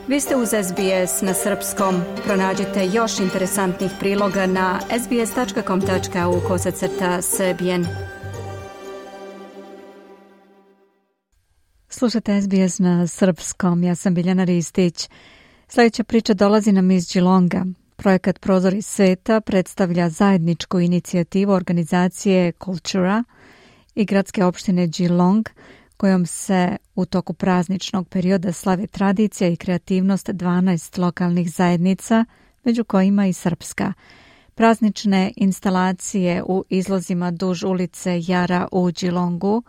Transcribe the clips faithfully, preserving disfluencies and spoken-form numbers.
Vi ste uz S B S na srpskom. Pronađite još interesantnih priloga na sbs tačka com tačka au kosacrta srbijen. Slušate S B S na srpskom. Ja sam Biljana Ristić. Sljedeća priča dolazi nam iz Geelonga. Projekat Prozori sveta predstavlja zajedničku inicijativu organizacije Kultura i gradske opštine Geelong, kojom se u toku prazničnog perioda slave tradicija i kreativnost dvanaest lokalnih zajednica, među kojima i srpska. Praznične instalacije u izlozima duž ulice Jara u Geelongu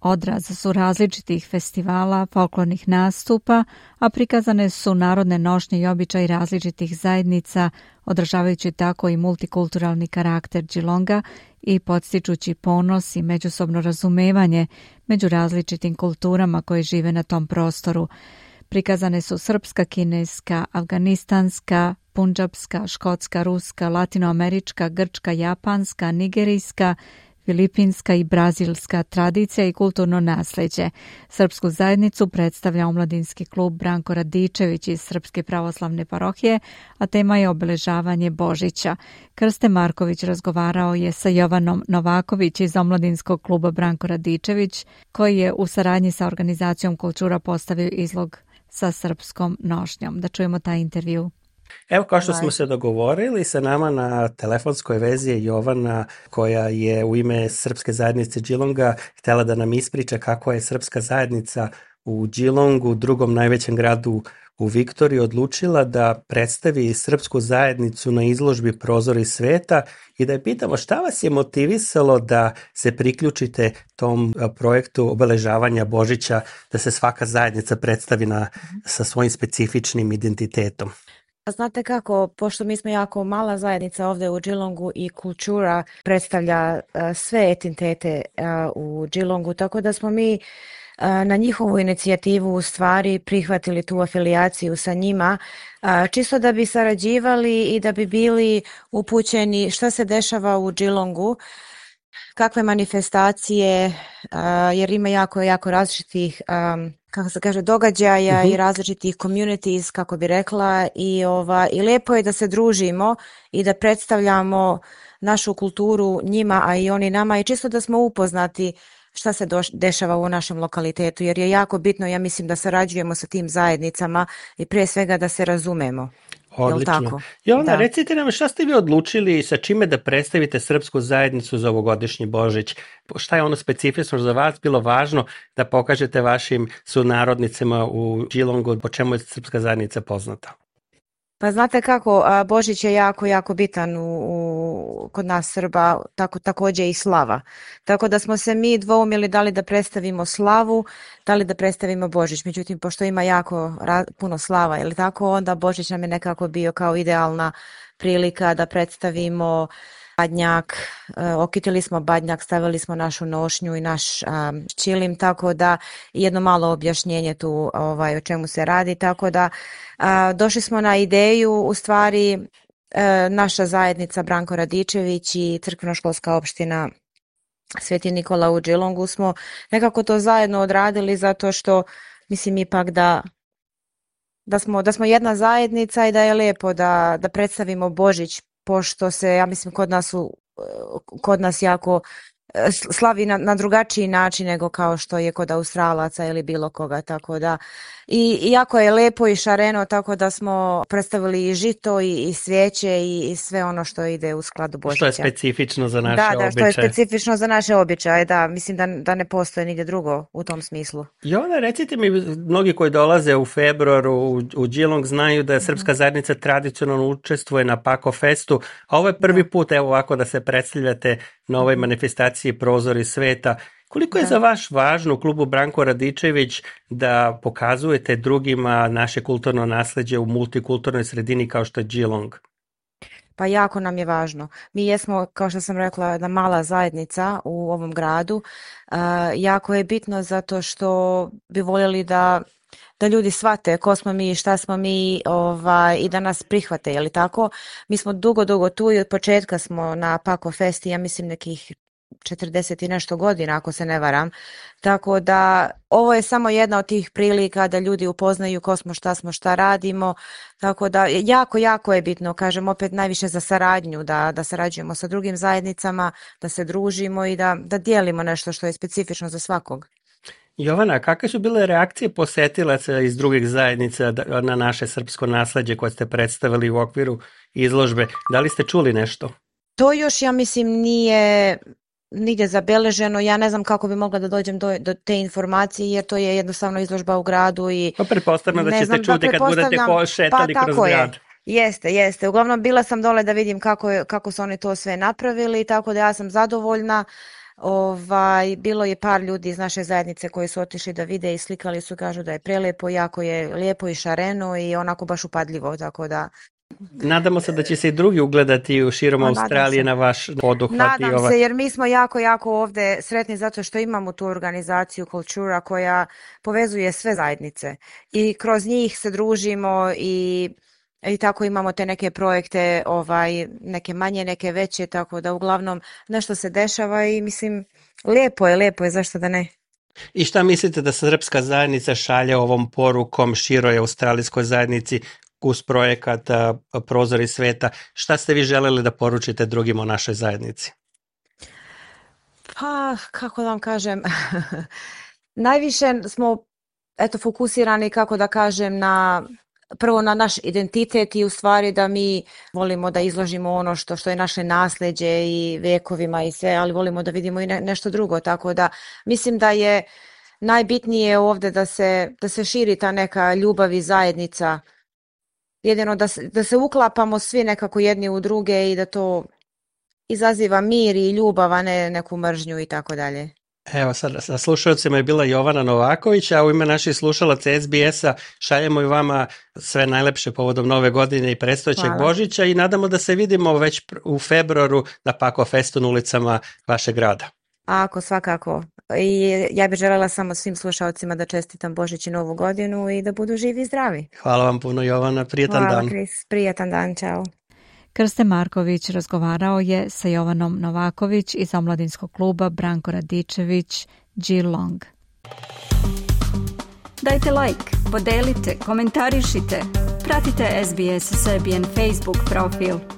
odraz su različitih festivala, folklornih nastupa, a prikazane su narodne nošnje i običaji različitih zajednica, održavajući tako i multikulturalni karakter Geelonga i podstičući ponos i međusobno razumevanje među različitim kulturama koje žive na tom prostoru. Prikazane su srpska, kineska, afganistanska, pundžapska, škotska, ruska, latinoamerička, grčka, japanska, nigerijska, filipinska i brazilska tradicija i kulturno nasleđe. Srpsku zajednicu predstavlja omladinski klub Branko Radičević iz Srpske pravoslavne parohije, a tema je obeležavanje Božića. Krste Marković razgovarao je sa Jovanom Novaković iz omladinskog kluba Branko Radičević, koji je u saradnji sa organizacijom Kultura postavio izlog sa srpskom nošnjom. Da čujemo taj intervju. Evo, kao što smo se dogovorili, sa nama na telefonskoj vezi je Jovana, koja je u ime Srpske zajednice Geelonga htjela da nam ispriča kako je Srpska zajednica u Geelongu, drugom najvećem gradu u Viktoriji, odlučila da predstavi Srpsku zajednicu na izložbi Prozori sveta i da je pitamo šta vas je motivisalo da se priključite tom projektu obeležavanja Božića, da se svaka zajednica predstavi na, sa svojim specifičnim identitetom. Znate kako, pošto mi smo jako mala zajednica ovdje u Geelongu i Kultura predstavlja uh, sve etnitete uh, u Geelongu, tako da smo mi uh, na njihovu inicijativu u stvari prihvatili tu afilijaciju sa njima, uh, čisto da bi sarađivali i da bi bili upućeni šta se dešava u Geelongu, kakve manifestacije, uh, jer ima jako, jako različitih um, kako se kaže, događaja uh-huh. i različitih communities, kako bi rekla, i, ova, i lijepo je da se družimo i da predstavljamo našu kulturu njima, a i oni nama, i čisto da smo upoznati šta se do, dešava u našem lokalitetu, jer je jako bitno, ja mislim, da sarađujemo sa tim zajednicama i prije svega da se razumemo. Odlično. Jovana, recite nam šta ste vi odlučili sa čime da predstavite Srpsku zajednicu za ovogodišnji Božić? Šta je ono specifično za vas bilo važno da pokažete vašim sunarodnicima u Geelongu, po čemu je Srpska zajednica poznata? Pa znate kako, Božić je jako, jako bitan u, u, kod nas Srba, tako, također i slava. Tako da smo se mi dvoumili da li da predstavimo slavu, da li da predstavimo Božić. Međutim, pošto ima jako ra, puno slava, ili tako, onda Božić nam je nekako bio kao idealna prilika da predstavimo badnjak, okitili smo badnjak, stavili smo našu nošnju i naš um, čilim, tako da jedno malo objašnjenje tu ovaj, o čemu se radi, tako da uh, došli smo na ideju, u stvari uh, naša zajednica Branko Radičević i crkveno-školska opština Sveti Nikola u Geelongu smo nekako to zajedno odradili, zato što mislim ipak da da smo, da smo jedna zajednica i da je lijepo da, da predstavimo Božić, pošto se, ja mislim, kod nas, u, kod nas jako slavi na, na drugačiji način nego kao što je kod Australaca ili bilo koga, tako da i, i jako je lepo i šareno, tako da smo predstavili i žito i, i svijeće i, i sve ono što ide u skladu Božića. Što je specifično za naše da, običaje. Da, što je specifično za naše običaje, da, mislim da, da ne postoje nigdje drugo u tom smislu. Jovana, recite mi, mnogi koji dolaze u februaru u, u Geelong znaju da Srpska zajednica tradicionalno učestvuje na Pako Festu, a ovo je prvi da. put, evo ovako, da se predstavljate na ovoj manifestaciji Prozori sveta. Koliko je da. za vas važno u klubu Branko Radičević da pokazujete drugima naše kulturno nasleđe u multikulturnoj sredini kao što je Geelong? Pa jako nam je važno. Mi jesmo, kao što sam rekla, jedna mala zajednica u ovom gradu. Uh, jako je bitno zato što bi voljeli da da ljudi shvate ko smo mi, šta smo mi, ovaj, i da nas prihvate, je li tako? Mi smo dugo, dugo tu i od početka smo na Pako Festi, ja mislim nekih četrdeset i nešto godina, ako se ne varam. Tako da ovo je samo jedna od tih prilika da ljudi upoznaju ko smo, šta smo, šta radimo. Tako da jako, jako je bitno, kažem opet najviše za saradnju, da, da sarađujemo sa drugim zajednicama, da se družimo i da, da dijelimo nešto što je specifično za svakog. Jovana, kakve su bile reakcije posetilaca iz drugih zajednica na naše srpsko nasleđe koje ste predstavili u okviru izložbe? Da li ste čuli nešto? To još, ja mislim, nije nigdje zabeleženo. Ja ne znam kako bi mogla da dođem do, do te informacije, jer to je jednostavno izložba u gradu. I pa pretpostavljam da ćete znam, čuti da kad budete šetali pa, kroz grad. Je. Jeste, jeste. Uglavnom bila sam dole da vidim kako, je, kako su oni to sve napravili, tako da ja sam zadovoljna. Ovaj, bilo je par ljudi iz naše zajednice koji su otišli da vide i slikali su, kažu da je prelepo, jako je lijepo i šareno i onako baš upadljivo, tako da... Nadamo se da će se i drugi ugledati u širom no, Australije na vaš poduhvat. Nadam ova... se, jer mi smo jako, jako ovdje sretni zato što imamo tu organizaciju Kultura koja povezuje sve zajednice i kroz njih se družimo i I tako imamo te neke projekte, ovaj, neke manje, neke veće, tako da uglavnom nešto se dešava i mislim, lijepo je, lijepo je, zašto da ne? I šta mislite da srpska zajednica šalje ovom porukom široj australijskoj zajednici uz projekat Prozori sveta? Šta ste vi želeli da poručite drugim o našoj zajednici? Pa, kako da vam kažem, najviše smo eto, fokusirani, kako da kažem, na... prvo na naš identitet i u stvari da mi volimo da izložimo ono što, što je naše nasleđe i vekovima i sve, ali volimo da vidimo i ne, nešto drugo, tako da mislim da je najbitnije ovdje da se, da se širi ta neka ljubav i zajednica, jedino da se, da se uklapamo svi nekako jedni u druge i da to izaziva mir i ljubav, a ne neku mržnju i tako dalje. Evo sad, sa slušalcima je bila Jovana Novaković, a u ime naših slušalaca S B S-a šaljemo i vama sve najlepše povodom Nove godine i predstojećeg Božića i nadamo da se vidimo već u februaru na Pako Festu na ulicama vašeg grada. Ako, svakako. I ja bih željela samo svim slušalcima da čestitam Božić i Novu godinu i da budu živi i zdravi. Hvala vam puno, Jovana, prijetan Hvala, dan. Hvala, Kris, prijetan dan, čao. Krste Marković razgovarao je sa Jovanom Novaković iz omladinskog kluba Branko Radičević Geelong. Dajte like, podelite, komentarišite, pratite S B S Serbian Facebook profil.